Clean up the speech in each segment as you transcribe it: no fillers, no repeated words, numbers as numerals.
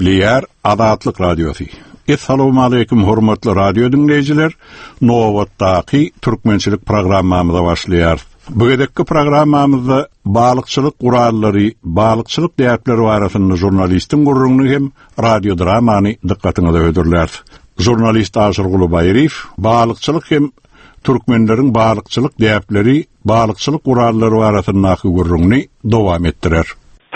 Gepleýär Azatlyk Radiosy. Essalawmaleýkim hormatly radio diňleýjiler! Nobatdaky türkmençilik programmamyza başlaýarys. Bu gezekki programmamyzda balykçylyk gurallary, balykçylyk däpleri barasynda žurnalistiň gürrüňini hem radiodramany dykgatyňyza hödürläris. Žurnalist Aşyrguly Baýryýew balykçylyk hem türkmenleriň balykçylyk däpleri, balykçylyk gurallary barasyndaky gürrüňini dowam etdirer.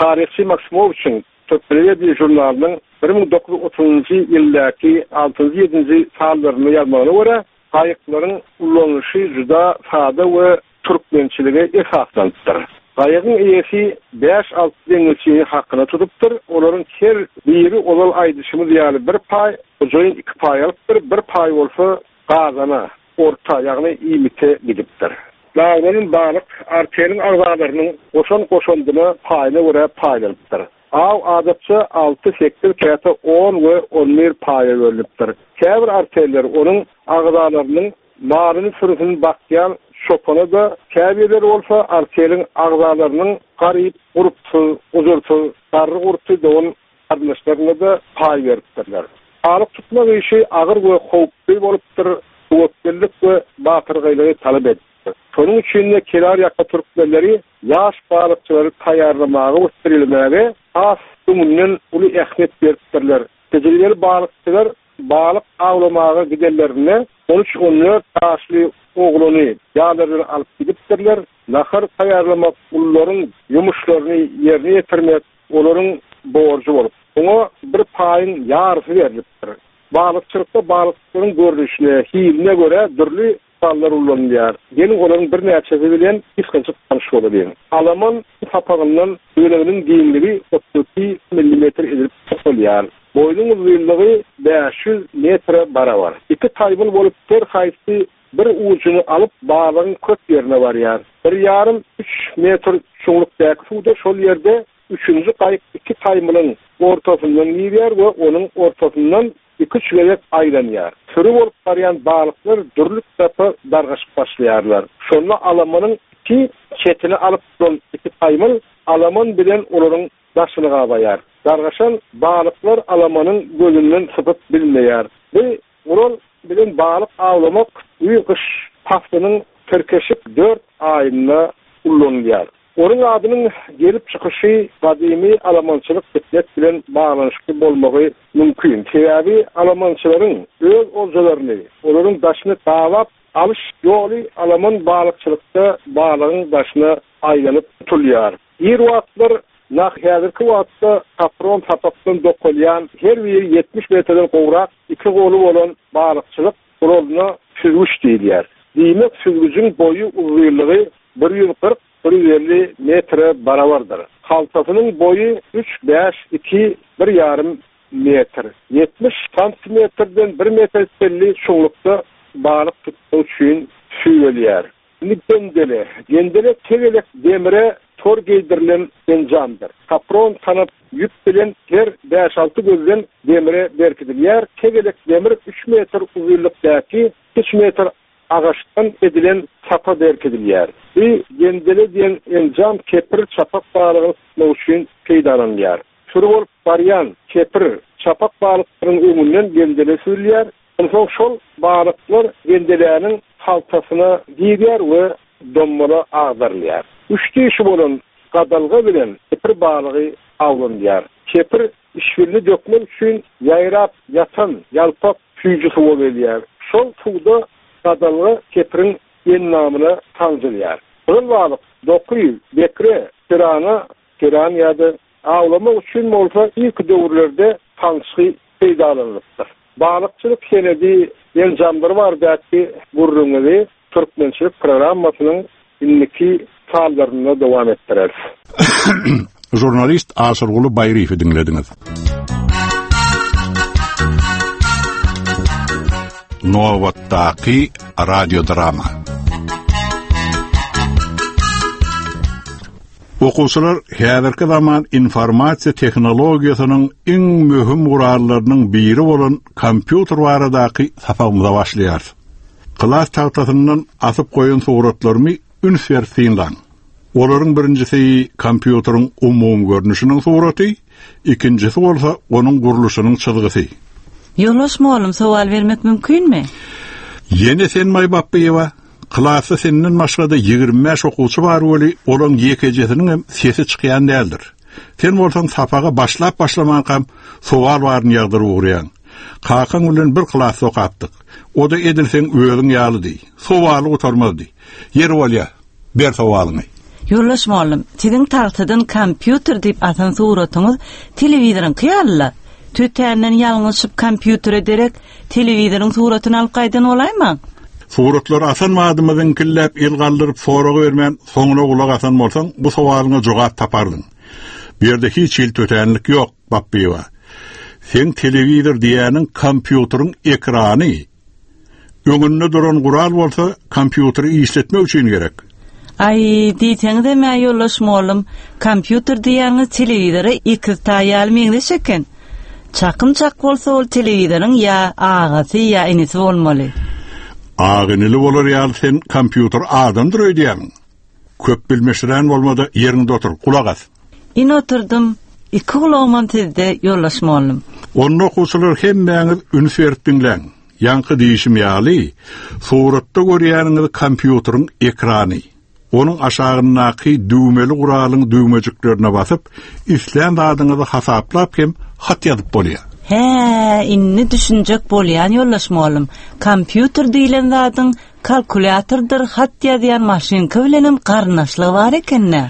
Taryhçy Maksimowiçiň Türkmenwedi žurnalynyň 1930-njy ýyldaky altynjy-ýedinji sanlarynda ýazmagyna görä, gaýyklaryň ulanylyşy juda sada we türkmençilige esaslanypdyr. Gaýygyň eýesi bäş-alty deňizçini hakyna tutupdyr, olaryň her biri ozal aýdyşymyz ýaly bir paý, hojaýyn iki paý alypdyr, bir paý bolsa gazana, orta, ýagny iýmite gidipdir. Daglanan balyk arteliň agzalarynyň goşan goşandyna paýyna görä paýlanypdyr. Aw adatça alty, sekiz, käte on we on bir paýa bölünipdir. Käbir arteller onuň agzalarynyň malyny sürüsini bakýan çopana-da, käbirleri bolsa arteliň agzalarynyň garyp, gurpsuz, gujursyz, garry-gurty dogan garyndaşlaryna-da paý beripdirler. Balyk tutmak işi agyr we howply bolupdyr, töwekgellik we batyrgaýlygy talap edipdir. Şonuň üçin-de kenarýaka türkmenleri ýaş balykçylary taýýarlamaga we terbiýelemäge has öňünden uly ähmiýet beripdirler. Tejribeli balykçylar balyk awlamaga gidenlerinde on üç-on dört ýaşly oglany ýanlary bilen alyp gidipdirler. Nahar taýýarlamak, ulularyň ýumuşlaryny ýerine ýetirmek olaryň borjy bolup, oňa bir paýyň ýarysy berlipdir. Balykçylykda balyklaryň görnüşine, hiline görä dürli gurallar ulanylýar. Geliň, olaryň birnäçesi bilen gysgajyk tanyş bolalyň. Alaman sapagyndan böleginiň giňligi 32 millimetr edilip dokalýar. Boýnuň uzynlygy 500 metre barabar. Iki taýmyl bolup her haýsy bir ujuny alyp balygyň köp ýerine barýar. Bir ýarym, üç metr çuňlukdaky suwda şol ýerde üçünji gaýyk iki taýmylyň ortasyndan girýär we onuň ortasyndan iki-üç gezek aýlanýar. Süri bolup barýan balyklar dürli tarapa dargaşyp başlaýarlar. Şonda alamanyň iki çetini alyp duran iki taýmyl alaman bilen olaryň daşyny gabaýar. Dargaşan balyklar alamanyň gözünden sypyp bilmeýär. Bu Gural bilen balyk awlamak güýz-gyş paslynyň tirkeşik dört aýynda ullanylýar. Onuň adynyň gelip çykyşy gadymy alamançylyk däp bilen baglanyşykly bolmagy mümkin. Sebäbi alamançylaryň öz oljalaryny olaryň daşyny gabap alyş ýoly alaman balykçylykda balygyň daşyna aýlanyp tutulýar. Ir wagtlar nah häzirki wagtda kapron sapakdan dokalýan her biri 70 metrden gowrak iki goly bolan balykçylyk guralyna süzgüç diýilýär. Diýmek, süzgüjiň boýy uzynlygy 140, 150 metre barabardyr. Haltasynyň boýy üç, bäş, iki, bir ýarym metr. 70 santimetrden bir metre çenli çuňlukda balyk tutmak üçin süýelýär. Indi gendele. Gendele tegelek demire tor geýdirilen enjamdyr. Kapron tanap ýüp bilen her bäş-alty gözden demire berkidilýär. Tegelek demir üç metr uzynlykdaky üç metr agaçdan edilen sapa berkidilýär. Bu gendele diýen enjam kepir, çapak balygyny tutmak üçin peýdalanylýar. Süri bolup barýan kepir, çapak balyklaryň öňünden gendele süzülýär. Onsoň şol balyklar gendeläniň haltasyna girýär we dommala agdarylýar. Üç dişi bolan gadalga bilen kepir balygy awlanylýar. Kepir işbilini dökmek üçin ýaýrap ýatan ýalpak süýji suwa gelýär. Şol suwda gadalga kepiriň endamyna sanjylýar. Gyzyl balyk, doky, bekre, pirana, piran ýa-da awlamak üçin bolsa irki döwürlerde sançgy peýdalanylypdyr. Balykçylyk senedi enjamlary baradaky gürrüňizi Türkmençilik programmasynyň indiki sanlarynda dowam etdireris. Žurnalist Aşyrguly Baýryýewi diňlediňiz. Nobatdaky radiodrama. Okuwçylar häzirki zaman informasiýa tehnologiýasynyň iň möhüm gurallarynyň biri bolan kompýuter baradaky sapagymyza başlaýarys. Klas tagtasyndan asyp goýan suratlarymy üns berip synlaň. Olaryň birinjisi kompýuteriň umumy görnüşiniň suraty, ikinjisi bolsa onuň gurluşynyň çyzgysy. Ýoldaş mugallym sowal bermek mümkinmi? Ýene sen Maý Bapbyýewa? Klasda senden başga-da 25 okuwçy bar weli, olaň ýekejesiniňem sesi çykýan däldir. Sen bolsaň sapaga başlap-başlamankam sowal baryny ýagdyryp ugraýaň. Kakaň bilen bir klasda okapdyk. O-da edil seň özüň ýalydy. Sowaly gutarmazdy. Ýeri bolýa, ber sowalyňy. Ýoldaş mugallym, siziň tagtadan kompýuter diýip asan suratyňyz telewizoryňky ýaly-la. Tötänden ýalňyşyp kompýutere derek telewizoryň suratyny alyp gaýdan bolaýmaň? Suratlary asan badymyz iňkilläp el galdyryp sorag bermän soňuna gulak asan bolsaň bu sowalyňa jogap tapardyň. Bu ýerde hiç hili tötänlik ýok, Bapbyýewa. Seň telewizor diýýäniň kompýuteriň ekrany. Öňünde duran gural bolsa kompýuteri işletmek üçin gerek. Aý, diýseňizem-ä ýoldaş mollum, kompýuter diýýäniňiz telewizora ekiztaý ýaly meňzeş eken. Çakym çak bolsa ol telewizoryň ýa agasy ýa inisi bolmaly. Aga-inili bolar ýaly sen kompýuter adamdyr öýdýämiň? Köp bilmeşirän bolma-da ýeriňde otur, gulak as. Ine oturdym, iki gulagymam sizde, ýoldaş mollum. Onda okuwçylar hemmäňiz üns berip diňläň. Ýaňky diýşim ýaly, suratda görýäniňiz kompýuteriň ekrany. Onuň aşagyndaky düwmeli guralyň düwmejiklerine basyp, islän zadyňyzy hasaplap hem hat ýazyp bolýar. Hä, indi düşünjek bolýan ýoldaş mugallym. Kompýuter diýlen zadyň kalkulýatordyr hat ýazýan maşynka bilenem garyndaşlygy bar eken-dä.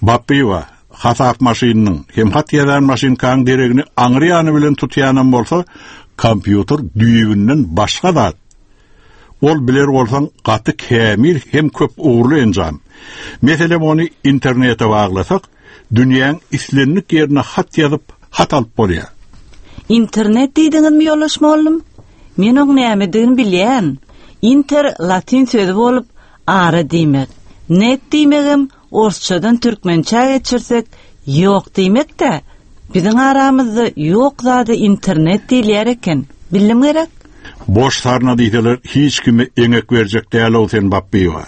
Bapbyýewa, hasap maşynynyň hem hat ýazýan maşynkaň deregini aňry ýany bilen tutýanam bolsa, kompýuter düýbünden başga zat. Ol biler bolsaň gaty kämil hem köp ugurly enjam. Meselem ony internete baglasak, dünýäň islendik ýerine hat ýazyp, hat alyp bolýar. Internet diýdiňizmi ýoldaş mollum? Men oň nämedigini bilýän. Inter latyn sözi bolup, ara diýmek. Net diýmegem Orsçadan türkmençä geçirsek, ýok diýmek-dä. Biziň aramyzda ýok zada internet diýilýär eken. Bildim gerek? Boş sarna diýseler hiç kime eňek berjek däl-ow sen Bapbyýewa.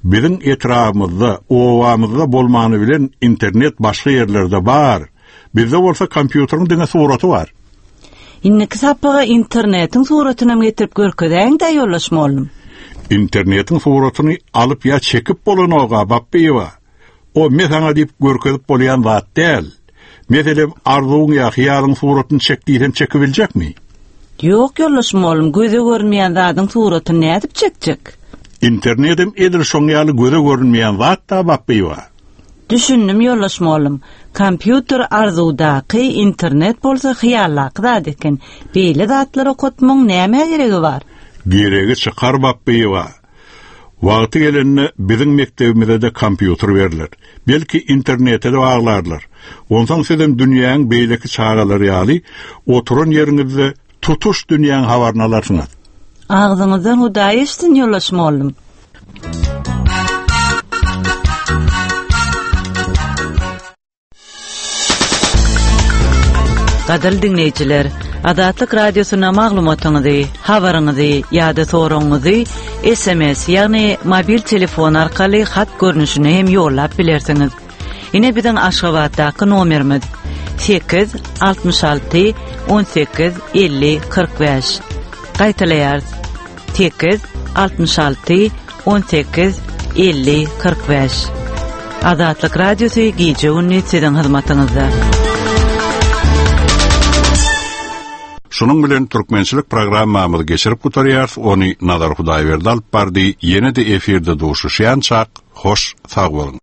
Biziň etrabymyzda, obamyzda bolmany bilen internet başga ýerlerde bar. Bizde bolsa kompýuteriň diňe suraty bar. Indiki sapaga internetiň suratynam getirip görkezäýiň-dä ýoldaş mollum. Internetiň suratyny alyp ýa çekip bolanok-a, Bapbyýewa. O me saňa diýip görkezip bolýan zat däl. Meselem, arzuwyň ýa hyýalyň suratyny çek diýsem çekibiljekmi? Ýok, ýoldaş mollum, göze görünmeýän zadyň suratyny nädip çekjek? Internetem edil şoň ýaly göze görünmeýän zat-da, Bapbyýewa. Düşündim ýoldaş mollum. Kompýuter arzuwdaky, internet bolsa hyýaldaky zat eken. Beýle zatlar okatmagyň nämä geregi bar? Geregi çykar Bapbyýewa. Wagty gelende biziň mekdebimize-de kompýuter berler. Belki internete-de baglarlar. Onsoň sizem dünýäň beýleki çagalary ýaly oturan ýeriňizde tutuş dünýäň habaryny alarsyňyz. Agzyňyzdan Hudaý eşitsin ýoldaş mollum. Gadyrly diňleýjiler, Azatlyk Radiosyna maglumatyňyzy, habaryňyzy ýa-da soragyňyzy SMS, ýagny mobil telefon arkaly hat görnüşinde hem ýollap bilersiňiz. Ine biziň Aşgabatdaky nomerimiz 8 66 18 50 45. Gaýtalaýarys. 8 66 18 50 45. Azatlyk Radiosy gije-gündiz siziň hyzmatyňyzda. Şunuň bilen türkmençilik programmamyzy geçirip gutarýarys, ony Nazar Hudaýberdi alyp bardy, ýene-de efirde duşuşýançak, hoş sag boluň!